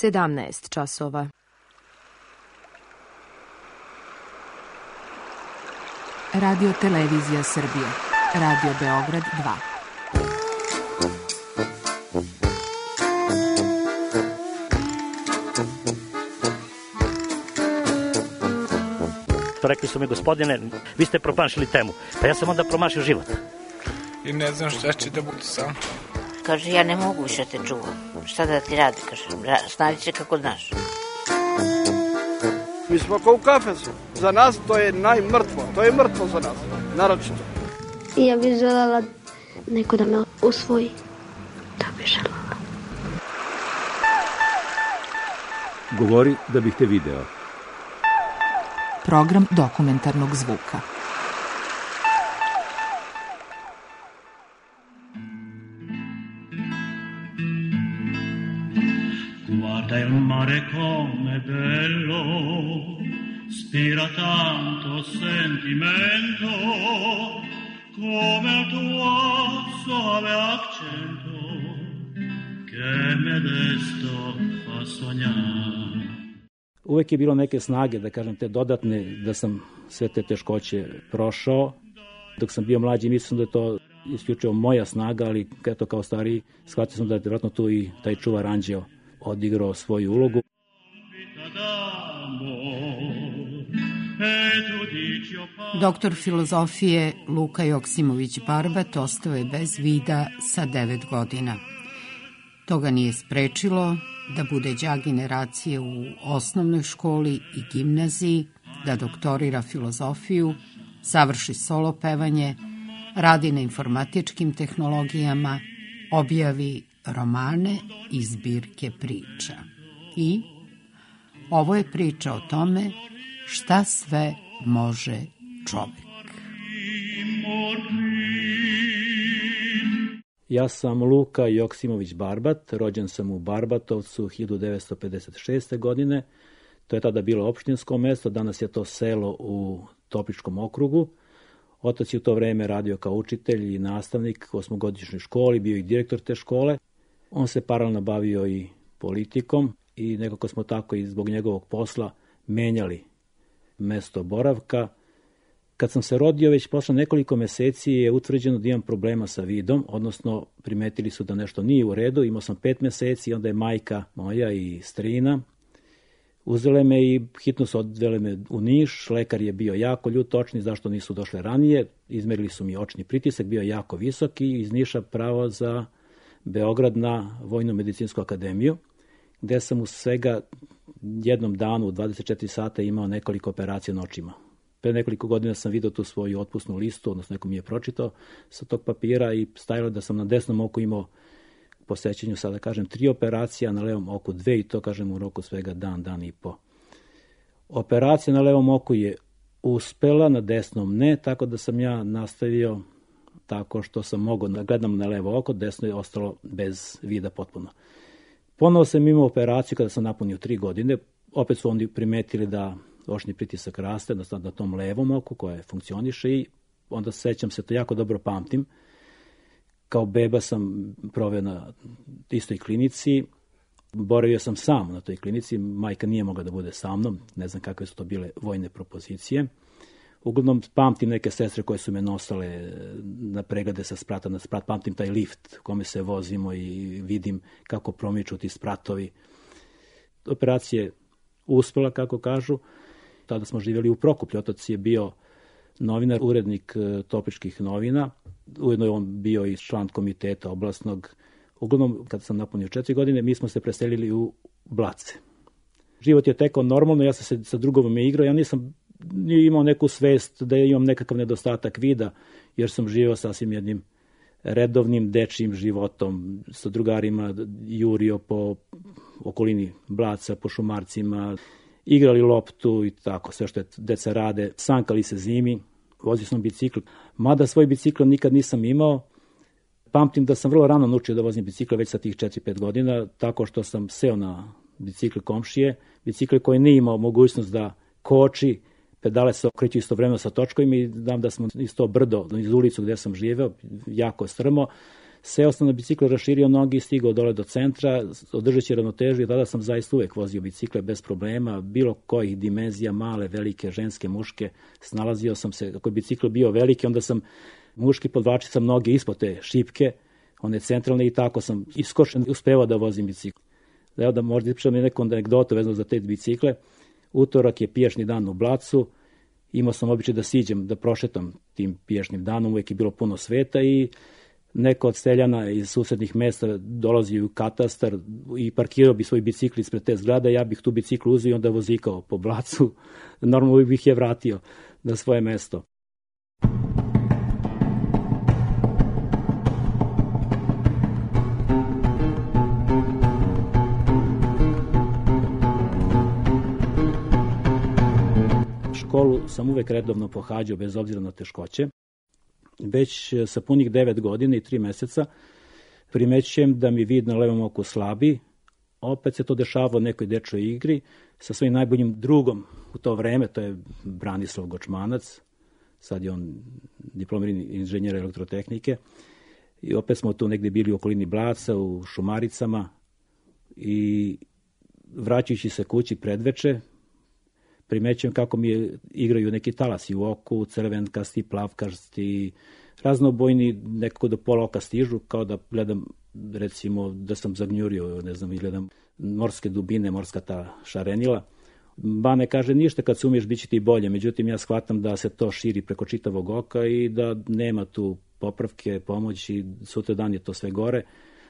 17 časova. Radio Televizija Srbije. Radio Beograd 2. Rekli su mi, gospodine, vi ste promašili temu. Pa ja sam onda promašio život. I ne znam šta će da bude sam. Kaže, ja ne mogu više te čuvam. Šta da ti radi, kaže, snađi se kako znaš. Mi smo kao u kafesu. Za nas to je najmrtvo. To je mrtvo za nas, naročito. I ja bih želela neko da me usvoji. Da bih želela. Govori da bih te video. Program dokumentarnog zvuka. Guarda il mare come bello, spira tanto sentimento, come il tuo suave accento, che me desto fa sognare. Uvek je bilo neke snage, da kažem, te dodatne, da sam sve te teškoće prošao. Dok sam bio mlađi, mislim da je to isključivo moja snaga, ali eto, kao stariji, shvatio sam da je vjerojatno tu i taj čuvar anđeo odigrao svoju ulogu. Doktor filozofije Luka Joksimović-Barbat ostao je bez vida sa 9 godina. To ga nije sprečilo da bude đak generacije u osnovnoj školi i gimnaziji, da doktorira filozofiju, savrši solo pevanje, radi na informatičkim tehnologijama, objavi romane i zbirke priča. I ovo je priča o tome šta sve može čovjek. Ja sam Luka Joksimović-Barbat, rođen sam u Barbatovcu 1956. godine. To je tada bilo opštinsko mesto, danas je to selo u Topličkom okrugu. Otac je u to vreme radio kao učitelj i nastavnik u 8-godišnjoj školi, bio i direktor te škole. On se paralelno bavio i politikom i nekako smo tako i zbog njegovog posla menjali mesto boravka. Kad sam se rodio, već posle nekoliko meseci je utvrđeno da imam problema sa vidom, odnosno primetili su da nešto nije u redu. Imao sam 5 meseci i onda je majka moja i strina uzele me i hitno su odvele me u Niš. Lekar je bio jako ljut, očni, zašto nisu došle ranije. Izmerili su mi očni pritisak, bio jako visok i iz Niša pravo za Beograd na Vojno-medicinsku akademiju, gde sam u svega jednom danu u 24 sata imao nekoliko operacija na očima. Pre nekoliko godina sam vidio tu svoju otpusnu listu, odnosno neko mi je pročitao sa tog papira i stajalo da sam na desnom oku imao po sećanju, sada kažem, 3 operacije, na levom oku 2 i to kažem u roku svega dan i po. Operacija na levom oku je uspela, na desnom ne, tako da sam ja nastavio tako što sam mogao da gledam na levo oko, desno je ostalo bez vida potpuno. Ponovo sam imao operaciju kada sam napunio 3 godine, opet su oni primetili da očni pritisak raste na tom levom oku koje funkcioniše i onda sećam se, to jako dobro pamtim. Kao beba sam proveo na istoj klinici, boravio sam sam na toj klinici, majka nije mogla da bude sa mnom, ne znam kakve su to bile vojne propozicije. Uglavnom pamtim neke sestre koje su me nosale na preglede sa sprata na sprat, pamtim taj lift kome se vozimo i vidim kako promiču ti spratovi. Operacija je uspela, kako kažu. Tada smo živjeli u Prokuplju, otac je bio novinar, urednik Topličkih novina, ujedno je on bio i član komiteta oblasnog. Uglavnom, kad sam napunio 4 godine, mi smo se preselili u Blace. Život je tekao normalno, ja sam se sa drugovima igrao, ja nisam imao neku svest da imam nekakav nedostatak vida, jer sam živio sasvim jednim redovnim dečijim životom, sa drugarima jurio po okolini Blaca, po šumarcima, igrali loptu i tako, sve što je deca rade, sankali se zimi, vozio sam bicikl, mada svoj bicikl nikad nisam imao. Pamtim da sam vrlo rano naučio da vozim bicikl već sa tih 4-5 godina, tako što sam seo na bicikl komšije, bicikl koji nije imao mogućnost da koči, pedale se okreću istovremeno sa točkovima i znam da smo iz to brdo, iz ulicu gde sam živeo, jako strmo, Seo sam na bicikl, raširio nogi, stigao dole do centra, održeći ravnotežu i tada sam zaista uvek vozio bicikle bez problema, bilo kojih dimenzija, male, velike, ženske, muške, snalazio sam se, ako je bicikl bio veliki, onda sam muški podvlačio sam noge ispod te šipke, one centralne i tako sam iskošen uspevao da vozim bicikl. Evo da možda ispričam neku anegdotu vezano za te bicikle. Utorak je pijašni dan u Blacu, imao sam običaj da siđem, da prošetam tim pijašnim danom, uvek je bilo puno sveta i neko od seljana iz susednih mesta dolazi u katastar i parkirao bi svoj bicikl ispred te zgrade, ja bih tu bicikl uzeo i onda vozikao po Blacu, normalno bih je vratio na svoje mesto. Školu sam uvek redovno pohađao bez obzira na teškoće. Već sa punih 9 godina i 3 meseca primećujem da mi vid na levom oku slabi. Opet se to dešava u nekoj dečoj igri sa svojim najboljim drugom u to vreme, to je Branislav Gočmanac, sad je on diplomirani inženjer elektrotehnike. I opet smo tu negde bili u okolini Blaca, u Šumaricama i vraćajući se kući predveče, primećujem kako mi igraju neki talasi u oku, crvenkasti, plavkasti, raznobojni, nekako do pola oka stižu, kao da gledam, recimo, da sam zagnjurio, ne znam, i gledam morske dubine, morska ta šarenila. Bane kaže, ništa, kad se umiješ, bit će ti bolje, međutim, ja shvatam da se to širi preko čitavog oka i da nema tu popravke, pomoći, sutra dan je to sve gore.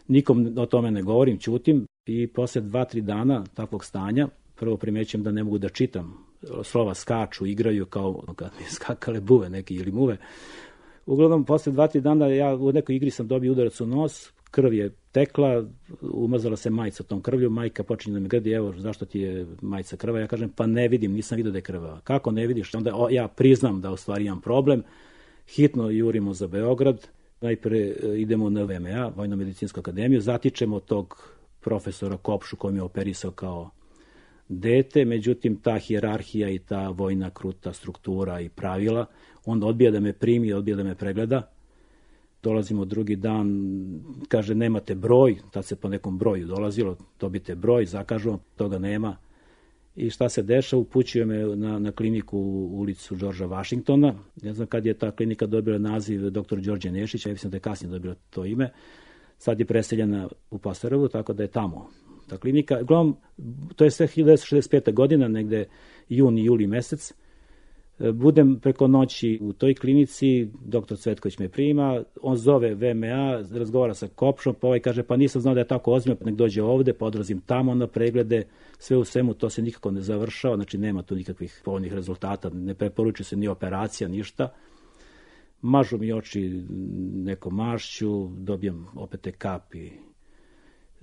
Nikom o tome ne govorim, ćutim i posle 2-3 dana takvog stanja, prvo primećujem da ne mogu da čitam. Slova skaču, igraju kao kad mi skakale buve neki ili muve. Uglavnom, posle 2-3 dana ja u nekoj igri sam dobio udarac u nos, krv je tekla, umazala se majica tom krvlju, majka počinje da me grdi, evo zašto ti je majica krva, ja kažem pa ne vidim, nisam vidio da je krva. Kako ne vidiš? Onda ja priznam da u stvari imam problem, hitno jurimo za Beograd, najpre idemo na VMA, Vojno-medicinsku akademiju, zatičemo tog profesora Kopšu koji mi je operisao kao dete, međutim ta hijerarhija i ta vojna kruta struktura i pravila, on odbija da me primi, odbija da me pregleda. Dolazimo drugi dan, kaže nemate broj, tad se po nekom broju dolazilo, dobite broj, zakažu, toga nema. I šta se dešava, upućuje me na kliniku u ulicu Đorđa Vašingtona, ne znam kad je ta klinika dobila naziv dr. Đorđe Nešić, ja mislim da je kasnije dobila to ime, sad je preseljena u Pasterovu, tako da je tamo ta klinika. Uglavnom, to je sve 1965. godina, negde juni, juli mesec. Budem preko noći u toj klinici, doktor Cvetković me prima, on zove VMA, razgovara sa Kopšom, pa ovaj kaže, pa nisam znao da je tako ozbiljno, nek dođe ovde, pa odlazim tamo na preglede, sve u svemu, to se nikako ne završava, znači nema tu nikakvih povoljnih rezultata, ne preporučuje se ni operacija, ništa. Mažu mi oči nekom mašću, dobijem opet te kapi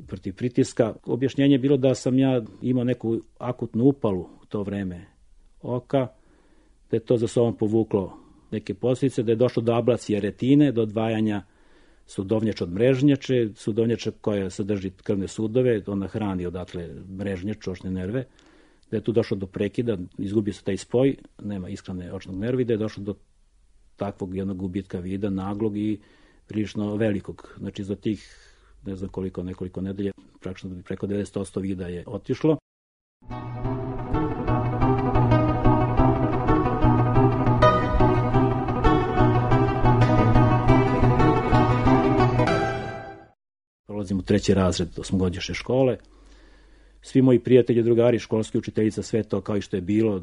protiv pritiska. Objašnjenje je bilo da sam ja imao neku akutnu upalu u to vreme oka, da je to za sobom povuklo neke posljedice, da je došlo do ablacije retine, do odvajanja sudovnjača od mrežnjače, sudovnjača koja sadrži krvne sudove, ona hrani odatle mrežnjaču, očne nerve, da je tu došlo do prekida, izgubio se taj spoj, nema ishrane očnog nerva i da je došlo do takvog jednog gubitka vida, naglog i prilično velikog. Znači za tih, ne znam koliko, nekoliko nedelje, praktično preko 90% vida je otišlo. Prolazim u 3. razred 8-godišnje škole. Svi moji prijatelji, drugari, školski učiteljica, sve to kao i što je bilo,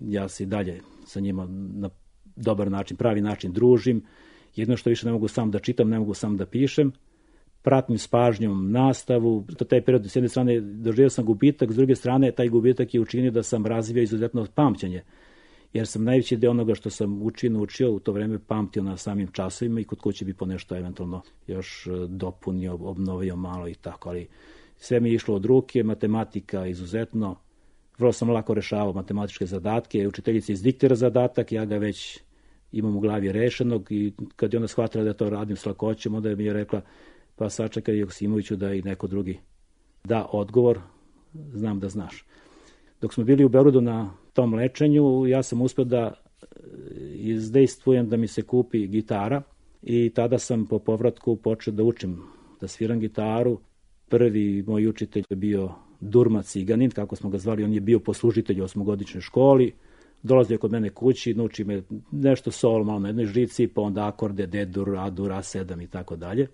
ja se i dalje sa njima na dobar način, pravi način družim. Jedno što više ne mogu sam da čitam, ne mogu sam da pišem. Pratim s pažnjom nastavu. Taj period, s jedne strane, doživio sam gubitak, s druge strane, taj gubitak je učinio da sam razvio izuzetno pamćenje. Jer sam najveći deo onoga što sam naučio u to vreme pamtio na samim časovima i kod kuće bi po nešto eventualno još dopunio, obnovio malo i tako, ali sve mi je išlo od ruke, matematika izuzetno, vrlo sam lako rešavao matematičke zadatke, učiteljica izdiktira zadatak, ja ga već imam u glavi rešenog i kad je ona shvatila da to radim s lakoćem, onda mi je rekla, pa sačekaj Joksimoviću da i neko drugi da odgovor, znam da znaš. Dok smo bili u Beogradu na tom lečenju, ja sam uspio da izdejstvujem da mi se kupi gitara, i tada sam po povratku počeo da učim, da sviram gitaru. Prvi moj učitelj je bio Durma Ciganin, kako smo ga zvali, on je bio poslužitelj u 8-godišnjoj školi. Dolazio kod mene kući, nauči me nešto solo malo na jednoj žici, pa onda akorde, D-dur, A-dur, A7 i tako dalje.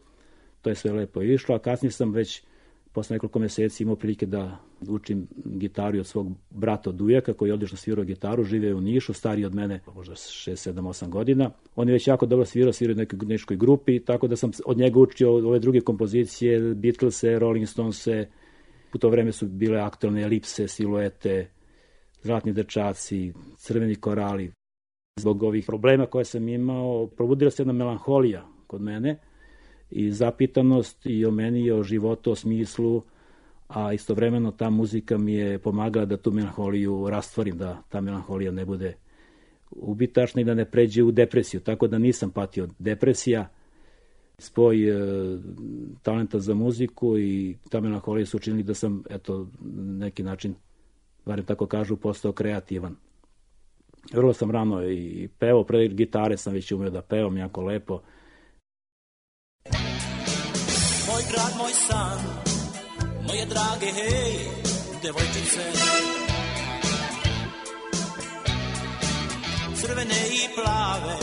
To je sve lepo išlo, a kasnije sam već posle nekoliko meseci imao prilike da učim gitaru od svog brata Dujaka, koji je odlično svirao gitaru, živio je u Nišu, stariji od mene, možda 6, 7, 8 godina. On je već jako dobro svirao u nekoj neškoj grupi, tako da sam od njega učio ove druge kompozicije, Beatlese, Rolling Stonese, u to vreme su bile aktualne Elipse, Siluete, Zlatni dečaci, Crveni korali. Zbog ovih problema koje sam imao, probudila se jedna melanholija kod mene i zapitanost i o meni i o životu, o smislu, a istovremeno ta muzika mi je pomagala da tu melanholiju rastvorim, da ta melanholija ne bude ubitačna i da ne pređe u depresiju, tako da nisam patio od depresija. Spoj talenta za muziku i ta melanholija su učinili da sam, eto, neki način, barem tako kažu, postao kreativan. Vrlo sam rano i pevao, pre gitare sam već umeo da pevam jako lepo. Moj grad, moj san, moje drage, hej, devojčice, crvene i plave,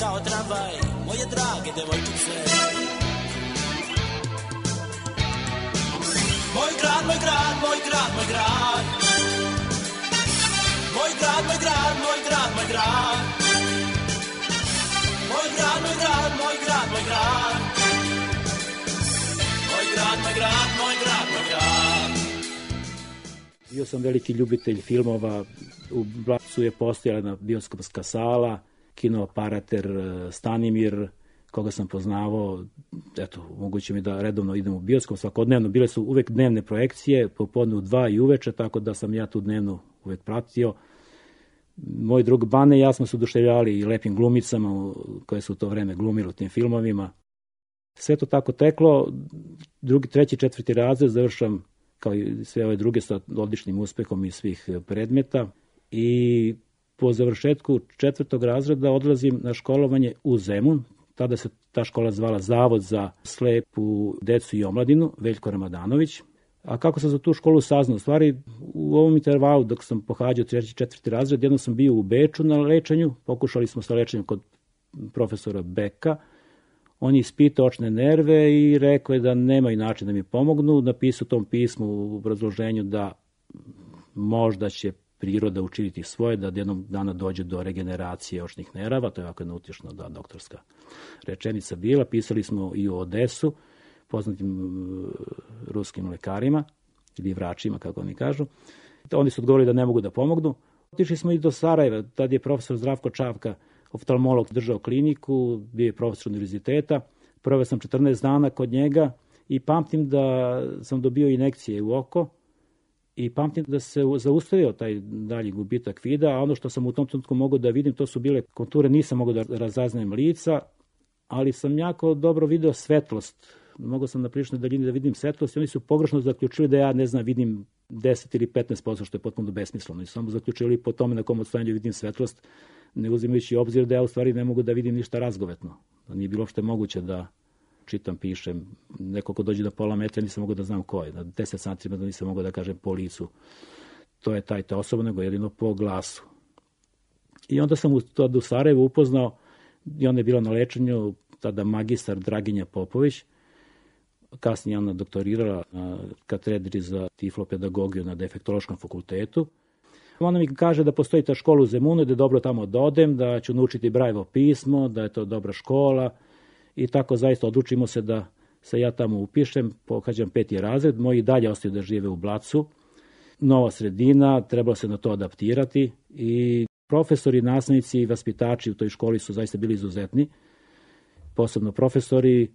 kao tramvaj, moje drage devojčice. Moj grad, moj grad, moj grad, moj grad, moj grad, moj grad, moj grad, moj grad, moj grad, moj grad, moj grad, moj grad, moj grad, moj grad, moj grad, moj grad. Bio sam veliki ljubitelj filmova, u Blacu je postojala jedna bioskopska sala, kinooperater Stanimir, koga sam poznavao, eto, moguće mi da redovno idem u bioskop svakodnevno, bile su uvek dnevne projekcije, popodne u 2 i uveče, tako da sam ja tu dnevno uvek pratio. Moj drug Bane i ja smo se oduševljavali i lepim glumicama koje su u to vreme glumile u tim filmovima. Sve to tako teklo, 2., 3., 4. razred završam kao i sve ove druge sa odličnim uspehom iz svih predmeta i po završetku 4. razreda odlazim na školovanje u Zemun. Tada se ta škola zvala Zavod za slepu decu i omladinu, Veljko Ramadanović. A kako sam za tu školu saznao? U stvari, u ovom intervalu dok sam pohađao 3. 4. razred, jednom sam bio u Beču na lečenju, pokušali smo sa lečenjem kod profesora Beka. On je ispitao očne nerve i rekao je da nemaju način da mi pomognu. Napisao u tom pismu u obrazloženju da možda će priroda učiniti svoje, da jednog dana dođe do regeneracije očnih nerava. To je ovako jedna utješna doktorska rečenica bila. Pisali smo i u Odesu, poznatim ruskim lekarima ili vračima, kako oni kažu. Oni su odgovorili da ne mogu da pomognu. Otišli smo i do Sarajeva, tad je profesor Zdravko Čavka, oftalmolog, držao kliniku, bio je profesor univerziteta. Proveo sam 14 dana kod njega i pamtim da sam dobio injekcije u oko i pamtim da se zaustavio taj dalji gubitak vida, a ono što sam u tom trenutku mogao da vidim, to su bile konture, nisam mogao da razaznajem lica, ali sam jako dobro video svetlost. Mogao sam na priličnoj daljini da vidim svetlost i oni su pogrešno zaključili da ja, ne znam, vidim 10 ili 15%, što je potpuno besmisleno. I samo zaključili po tome na kom odstojanju vidim svetlost, ne uzimajući obzir da ja u stvari ne mogu da vidim ništa razgovetno. Da nije bilo uopšte moguće da čitam, pišem. Neko ko dođe do pola metra nisam mogao da znam ko je. Na 10 santima da nisam mogao da kažem po licu. To je ta osoba, nego jedino po glasu. I onda sam u Sarajevu upoznao, i ona je bila na lečenju, tada magistar Draginja Popović. Kasnije ona doktorirala na katedri za tiflopedagogiju na Defektološkom fakultetu. Ona mi kaže da postoji ta škola u Zemunu, da je dobro tamo da odem, da ću naučiti Brajevo pismo, da je to dobra škola i tako zaista odlučimo se da se ja tamo upišem, pohađam 5. razred, moji dalje ostaju da žive u Blacu. Nova sredina, trebalo se na to adaptirati i profesori, nastavnici i vaspitači u toj školi su zaista bili izuzetni, posebno profesori,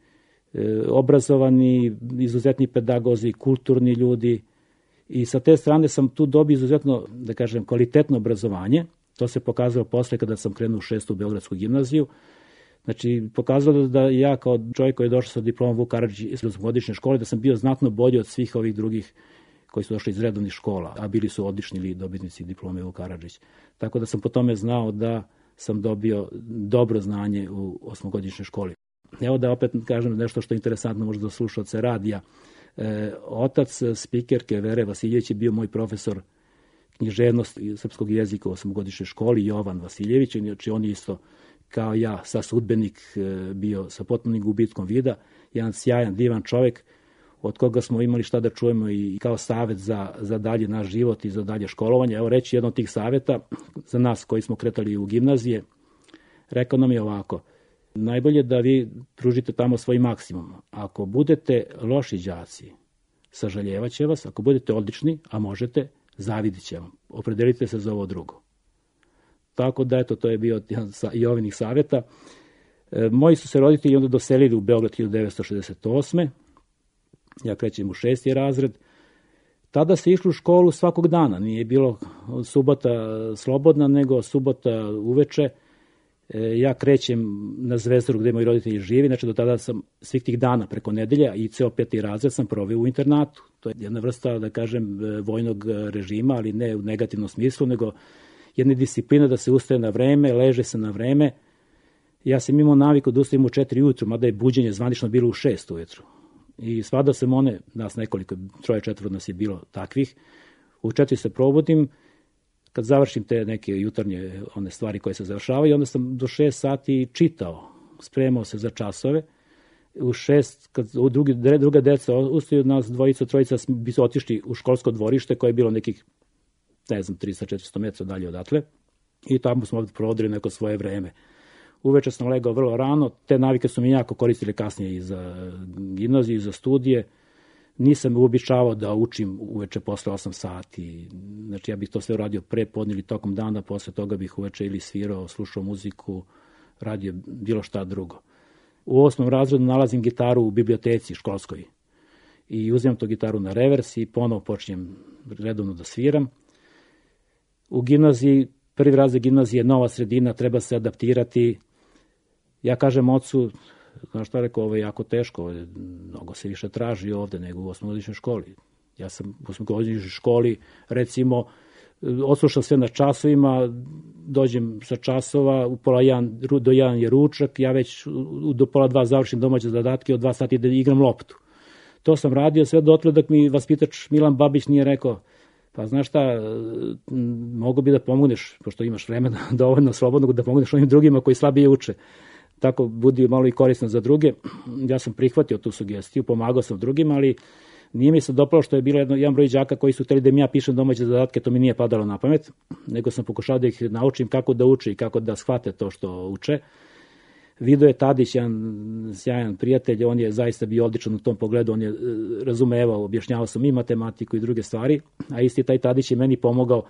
obrazovani, izuzetni pedagozi, kulturni ljudi i sa te strane sam tu dobio izuzetno, da kažem, kvalitetno obrazovanje. To se pokazalo posle kada sam krenuo u 6. Beogradsku gimnaziju. Znači, pokazalo da ja kao čovjek koji je došao sa diplomom Vuk Karadžić iz 8-godišnje škole, da sam bio znatno bolji od svih ovih drugih koji su došli iz redovnih škola, a bili su odlični dobitnici diplome Vuk Karadžić. Tako da sam po tome znao da sam dobio dobro znanje u osmogodišnjoj školi. Evo da opet kažem nešto što je interesantno možda za slušaoce radija. Otac spikerke Vere Vasiljević je bio moj profesor književnosti i srpskog jezika u osmogodišnjoj školi, Jovan Vasiljević, znači on je isto kao ja, sa sudbenik, bio sa potpunim gubitkom vida, jedan sjajan, divan čovjek, od koga smo imali šta da čujemo i kao savjet za dalje naš život i za dalje školovanje. Evo reći jedno od tih savjeta za nas koji smo kretali u gimnazije, rekao nam je ovako: najbolje da vi pružite tamo svoj maksimum. Ako budete loši đaci, sažaljevat će vas, ako budete odlični, a možete, zavidit će vam. Opredelite se za ovo drugo. Tako da, eto, to je bio jedan i ovinih savjeta. Moji su se roditelji onda doselili u Beograd 1968. Ja krećem u 6. razred. Tada se išlo u školu svakog dana. Nije bilo subota slobodna, nego subota uveče. Ja krećem na Zvezdaru gde moji roditelji živi, znači do tada sam svih tih dana preko nedelja i ceo 5. razred sam proveo u internatu. To je jedna vrsta, da kažem, vojnog režima, ali ne u negativnom smislu, nego jedna disciplina da se ustaje na vreme, leže se na vreme. Ja sam imao naviku da ustajem u 4 ujutru, mada je buđenje zvanično bilo u 6 ujutru. I svadao sam one, nas nekoliko, 3-4 nas je bilo takvih, u 4 se probudim, kad završim te neke jutarnje one stvari koje se završavaju, onda sam do 6 sati čitao, spremao se za časove. U 6, kad druga deca ustaju, nas dvojica, trojica bi su otišli u školsko dvorište koje je bilo nekih, 300-400 metra dalje odatle, i tamo smo ovdje provodili neko svoje vreme. Uveče sam legao vrlo rano, te navike su mi jako koristile kasnije i za gimnaziju i za studije. Nisam uobičavao da učim uveče posle 8 sati, znači ja bih to sve uradio pre podne ili tokom dana, posle toga bih uveče ili svirao, slušao muziku, radio bilo šta drugo. U 8. razredu nalazim gitaru u biblioteci školskoj i uzimam tu gitaru na revers i ponovo počinjem redovno da sviram. U gimnaziji, 1. razred gimnazije, nova sredina, treba se adaptirati. Ja kažem ocu, znaš šta rekao, ovo je jako teško, mnogo se više traži ovde nego u osmogodišnjoj školi. Ja sam u osmogodišnjoj školi, recimo, odslušao sve na časovima, dođem sa časova, u pola 1 do 1 je ručak, ja već do pola 2 završim domaće zadatke, od 2 sati da igram loptu. To sam radio sve dotle dok mi vaspitač Milan Babić nije rekao: pa znaš šta, mogu bi da pomogneš, pošto imaš vremena dovoljno slobodnog, da pomogneš onim drugima koji slabije uče. Tako budi malo i korisno za druge. Ja sam prihvatio tu sugestiju, pomagao sam drugima, ali nije mi se dopalo što je bilo jedan broj đaka koji su hteli da mi ja pišem domaće zadatke, to mi nije padalo na pamet, nego sam pokušao da ih naučim kako da uče i kako da shvate to što uče. Vidoje Tadić, jedan sjajan prijatelj, on je zaista bio odličan u tom pogledu, on je razumevao, objašnjavao sam i matematiku i druge stvari, a isti taj Tadić je meni pomogao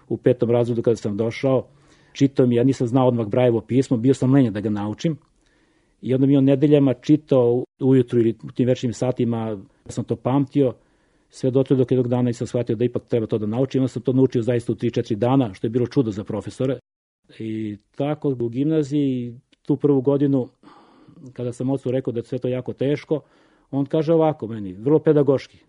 u 5. razredu kada sam došao. Čitao mi, ja nisam znao odmah Brajevo pismo, bio sam lenjen da ga naučim i onda mi on nedeljama čitao ujutru ili u tim večernjim satima, sam to pamtio, sve dotle dok jednog dana nisam shvatio da ipak treba to da naučim, onda sam to naučio zaista u 3-4 dana, što je bilo čudo za profesore. I tako u gimnaziji, tu prvu godinu, kada sam ocu rekao da je sve to jako teško, on kaže ovako meni, vrlo pedagoški.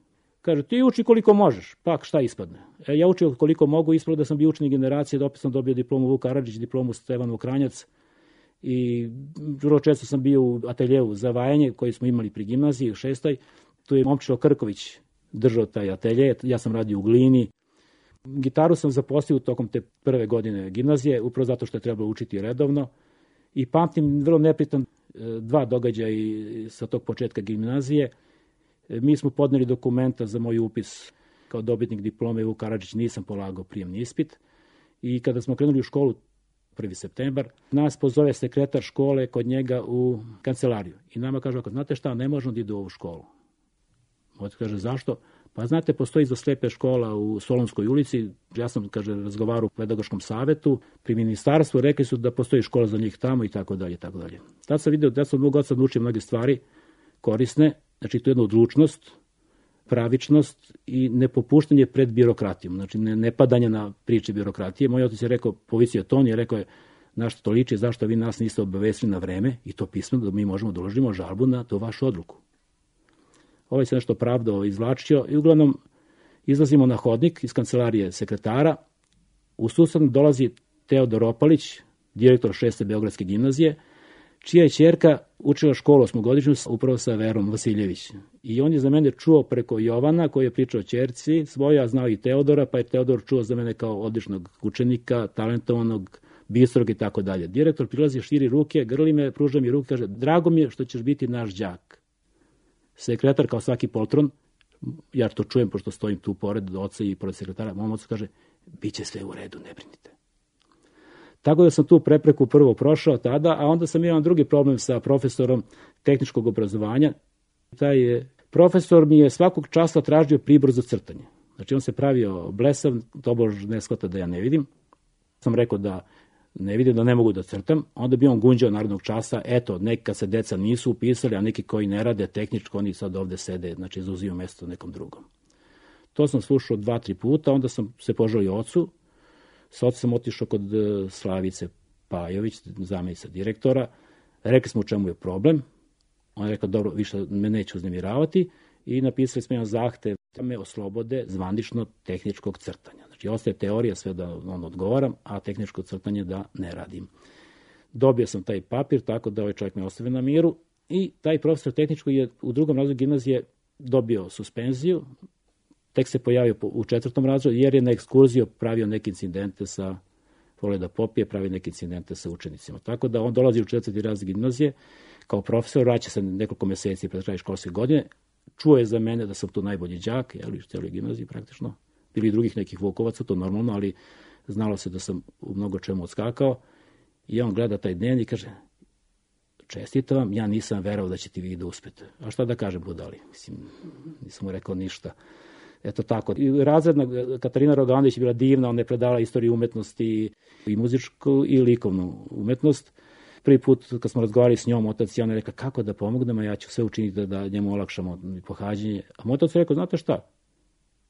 Kaže, ti uči koliko možeš, pak šta ispadne. Ja učio koliko mogu, ispravo da sam bio učenik generacije, da opet sam dobio diplomu Vuk Karadžić, diplomu Stevan Mokranjac i vrlo često sam bio u ateljevu za vajanje koji smo imali pri gimnaziji u 6. Tu je Momčilo Krković držao taj atelje, ja sam radio u glini. Gitaru sam zaposlio tokom te prve godine gimnazije, upravo zato što je trebalo učiti redovno. I pamtim vrlo nepritan 2 događaja sa tog početka gimnazije. Mi smo podneli dokumenta za moj upis kao dobitnik diplome Vuk Karadžić, nisam polagao prijemni ispit. I kada smo krenuli u školu 1. septembar, nas pozove sekretar škole kod njega u kancelariju. I nama kaže, znate šta, ne možemo da idu u ovu školu. Otac kaže, zašto? Pa znate, postoji za slepe škola u Solunskoj ulici, ja sam, kaže, razgovarao u pedagoškom savetu, pri ministarstvu, rekli su da postoji škola za njih tamo i tako dalje, i tako dalje. Tad sam vidio, da sam mogu od sad naučiti mnoge stvari korisne, znači to je jedna odlučnost, pravičnost i nepopuštanje pred birokratijom, znači ne padanje na priče birokratije. Moj otac je rekao, povisio ton i rekao je, na što to liči, zašto vi nas niste obavestili na vreme i to pismo da mi možemo da uložimo žalbu na tu vašu odluku. Ovaj se nešto pravdao, izvlačio i uglavnom izlazimo na hodnik iz kancelarije sekretara. U susret dolazi Teodor Opalić, direktor 6. Beogradske gimnazije, čija je ćerka učila školu 8-godišnju upravo sa Verom Vasiljević. I on je za mene čuo preko Jovana, koji je pričao o ćerci svoja, a znao i Teodora, pa je Teodor čuo za mene kao odličnog učenika, talentovanog, bistrog i tako dalje. Direktor prilazi, širi ruke, grli me, pruža mi ruke, kaže, drago mi je što ćeš biti naš đak. Sekretar, kao svaki poltron, ja to čujem pošto stojim tu pored oca i pored sekretara, mom ocu kaže, bit će sve u redu, ne brinite. Tako da sam tu prepreku prvo prošao tada, a onda sam imao drugi problem sa profesorom tehničkog obrazovanja. Taj profesor mi je svakog časa tražio pribor za crtanje. Znači on se pravio blesav, tobož ne shvata da ja ne vidim. Sam rekao da ne vidim, da ne mogu da crtam. Onda bi on gunđao narednog časa, eto, neka se deca nisu upisali, a neki koji ne rade tehničko, oni sad ovde sede, znači zauzimaju mesto nekom drugom. To sam slušao 2-3 puta, onda sam se požalio ocu. Sa ocem sam otišao kod Slavice Pajović, zamjenica direktora. Rekli smo u čemu je problem. On je rekao, dobro, više me neće uznemiravati i napisali smo jedan zahtev da me oslobode zvanično tehničkog crtanja. Znači, ostaje teorija sve da on odgovaram, a tehničko crtanje da ne radim. Dobio sam taj papir, tako da ovaj čovjek me ostavio na miru i taj profesor tehničkog je u 2. razredu gimnazije dobio suspenziju. Tek se pojavio u 4. razredu jer je na ekskurziju pravio neke incidente sa vole da popije, pravi neke incidente sa učenicima. Tako da on dolazi u 4. razred gimnazije kao profesor, vraća se nekoliko meseci pred kraj školske godine, čuje za mene da sam tu najbolji đak, u celoj gimnaziji praktično, bili i drugih nekih Vukovaca, to normalno, ali znalo se da sam u mnogo čemu odskakao i on gleda taj dnevnik i kaže, čestitam vam, ja nisam verovao da ćete vi da uspete. A šta da kažem budali? Mislim, nisam mu rekao ništa. Eto tako. I razredna Katarina Roganović je bila divna, ona je predavala istoriju umetnosti i muzičku i likovnu umetnost. Prvi put kad smo razgovarali s njom, otac i ona je rekla kako da pomognemo, ja ću sve učiniti da njemu olakšamo pohađanje. A moj otac je rekao, znate šta,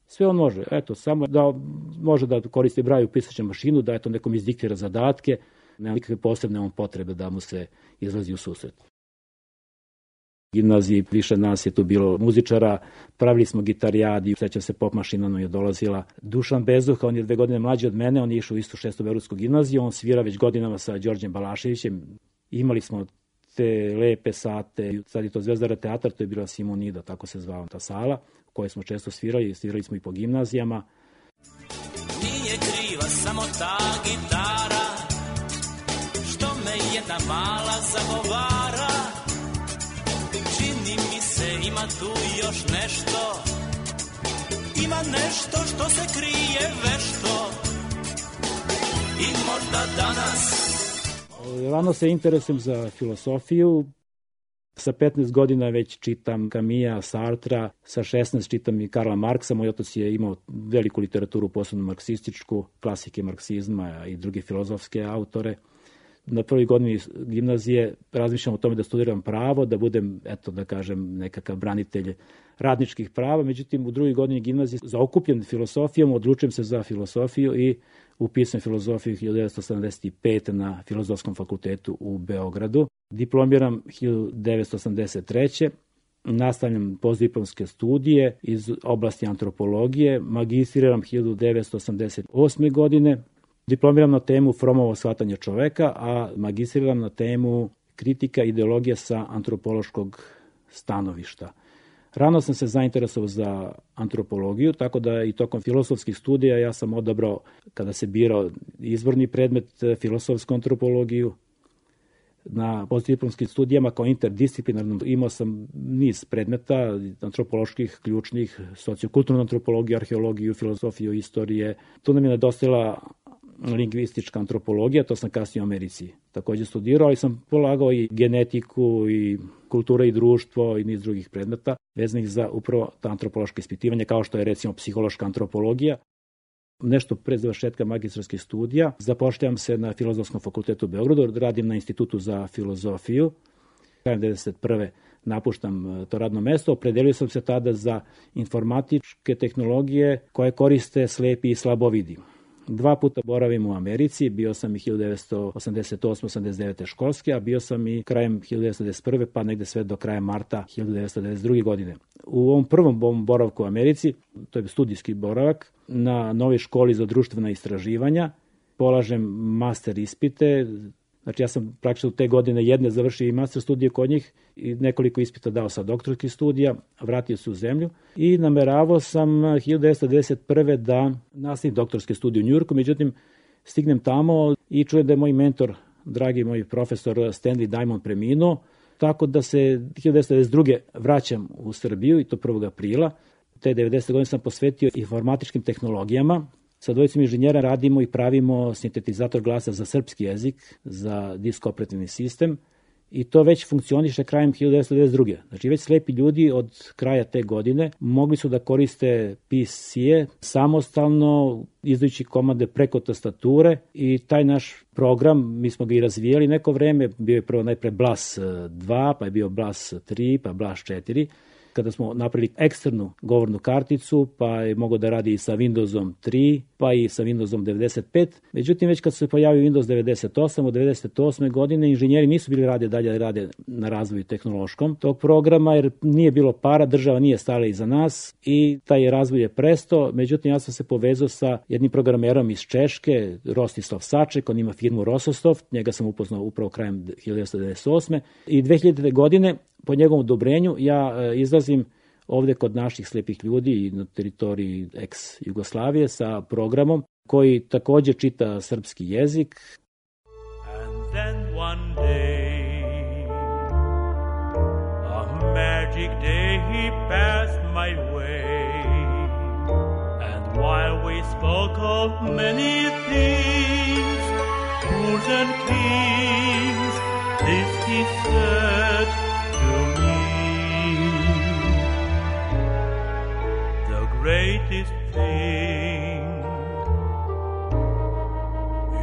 sve on može, eto, samo da može da koristi braju pisaću mašinu, da eto nekom izdiktira zadatke, nema nikakve posebne potrebe da mu se izlazi u susret. Gimnaziji više nas je tu bilo muzičara, pravili smo gitarijadi, sećam se pop mašina nam je dolazila. Dušan Bezuha, on je 2 godine mlađi od mene, on je išao u istu 6. Beogradsku gimnaziju, on svira već godinama sa Đorđem Balaševićem. Imali smo te lepe sate, sad je to Zvezdara teatar, to je bila Simonida, tako se zvala ta sala, u kojoj smo često svirali smo i po gimnazijama. Nije kriva samo ta gitara, što me jedna mala zagovara. Čini mi se ima tu još nešto, ima nešto što se krije vešto i možda danas. Rano se interesujem za filosofiju. Sa 15 godina već čitam Camilla, Sartra, sa 16 čitam i Karla Marksa. Moj otac je imao veliku literaturu, posebno marksističku, klasike marksizma i druge filozofske autore. Na prvoj godini gimnazije razmišljam o tome da studiram pravo, da budem, eto da kažem, nekakav branitelj radničkih prava. Međutim, u 2. godini gimnazije zaokupljen filosofijom, odlučujem se za filosofiju i upisujem filozofiju 1975. na Filozofskom fakultetu u Beogradu. Diplomiram 1983. Nastavljam postdiplomske studije iz oblasti antropologije. Magistriram 1988. godine. Diplomiram na temu Fromovo shvatanje čoveka, a magistriram na temu kritika ideologije sa antropološkog stanovišta. Rano sam se zainteresovao za antropologiju, tako da i tokom filosofskih studija ja sam odabrao, kada se birao izborni predmet, filosofsku antropologiju. Na postdiplomskim studijama kao interdisciplinarno imao sam niz predmeta antropoloških, ključnih, sociokulturnu antropologiju, arheologiju, filozofiju, istorije. Tu nam je nedostajala lingvistička antropologija, to sam kasnije u Americi takođe studirao, ali sam polagao i genetiku i kultura i društvo i niz drugih predmeta vezanih za upravo ta antropološka ispitivanja, kao što je recimo psihološka antropologija. Nešto pre završetka magistarskih studija zapošljam se na Filozofskom fakultetu u Beogradu, radim na Institutu za filozofiju. Krajem 1991. napuštam to radno mesto, opredelio sam se tada za informatičke tehnologije koje koriste slepi i slabovidi. 2 puta boravim u Americi, bio sam i 1988-89. školske, a bio sam i krajem 1991. pa negde sve do kraja marta 1992. godine. U ovom prvom boravku u Americi, to je studijski boravak, na novoj školi za društvena istraživanja, polažem master ispite. Znači ja sam praktično te godine jedne završio i master studije kod njih i nekoliko ispita dao sa doktorskih studija, vratio se u zemlju i nameravao sam 1991. da nastavim doktorske studije u Njujorku, međutim stignem tamo i čujem da je moj mentor, dragi moj profesor Stanley Diamond preminuo, tako da se 1992. vraćam u Srbiju i to 1. aprila. Te 90. godine sam posvetio informatičkim tehnologijama. Sa dvojicom inženjera radimo i pravimo sintetizator glasa za srpski jezik, za disk operativni sistem i to već funkcioniše krajem 1992. Znači već slepi ljudi od kraja te godine mogli su da koriste PC-e samostalno, izdajući komande preko tastature i taj naš program, mi smo ga i razvijali neko vreme, bio je prvo najpre BLAS 2, pa je bio BLAS 3, pa BLAS 4, kada smo napravili eksternu govornu karticu, pa je mogao da radi i sa Windowsom 3, pa i sa Windowsom 95. Međutim, već kad se pojavio Windows 98, od 98. godine, inženjeri nisu bili dalje rade na razvoju tehnološkom tog programa, jer nije bilo para, država nije stala iza nas i taj razvoj je prestao. Međutim, ja sam se povezao sa jednim programerom iz Češke, Rostislav Saček, on ima firmu Rososoft, njega sam upoznao upravo krajem 1998. I 2000. godine, po njegovom odobrenju, ja izlazim ovde kod naših slepih ljudi na teritoriji ex-Jugoslavije sa programom koji takođe čita srpski jezik. And then one day, a magic day he passed my way, and while we spoke of many things, fools and kings, this he said to me: the greatest thing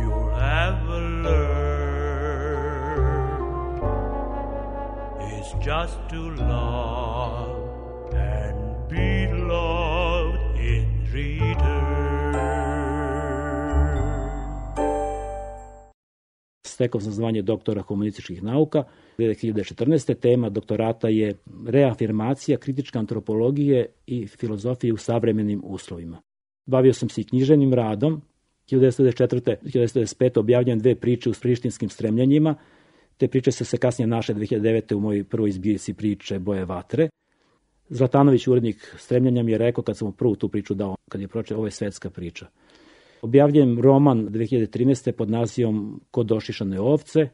you'll ever learn is just to love and be loved in return. Stekao sam zvanje doktora humanističkih nauka. 2014. tema doktorata je reafirmacija kritičke antropologije i filozofije u savremenim uslovima. Bavio sam se i književnim radom. 1994. 1995. objavljujem 2 priče u prištinskim stremljenjima. Te priče su se kasnije našle 2009. u mojoj prvoj zbirci priče Boje vatre. Zlatanović, urednik stremljenja, mi je rekao kad sam mu prvu tu priču dao, kad je pročitao, ovo je svetska priča. Objavljujem roman 2013. pod nazivom Kod ošišane ovce.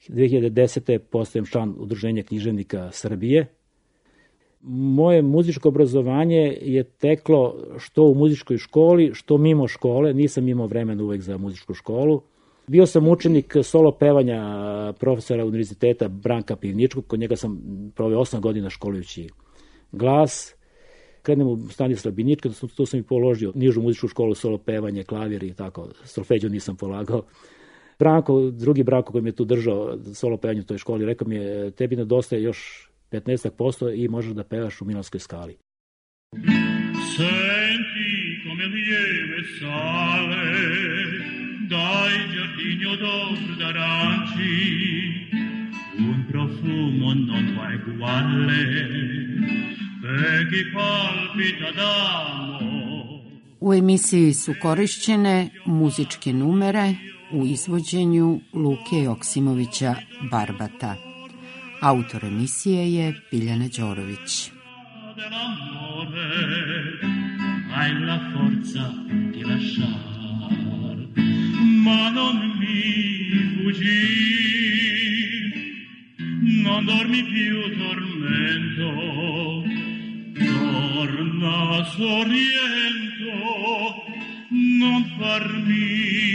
2010. postajem član Udruženja književnika Srbije. Moje muzičko obrazovanje je teklo što u muzičkoj školi, što mimo škole. Nisam imao vremena uvek za muzičku školu. Bio sam učenik solo pevanja profesora univerziteta Branka Pivničkog. Kod njega sam proveo 8 godina školujući glas. Krenem u Stanislav Binička, tu sam i položio nižu muzičku školu, solo pevanje, klavir i tako. Solfeđu nisam polagao. Drugi Branko koji me tu držao solo pevanje u toj školi, rekao mi je: tebi nedostaje još 15% i možeš da pevaš u Milanskoj skali. Senti come lieve sale dai giardini odor d'aranci, un profumo non mai uguale per chi palpita d'amore. U emisiji su korišćene muzičke numere u izvođenju Luke Joksimovića Barbata. Autor emisije je Biljana Đorović. Hai la forza di lasciar, ma non mi fuggir, non dormi più tormento, torna sorriento, non farmi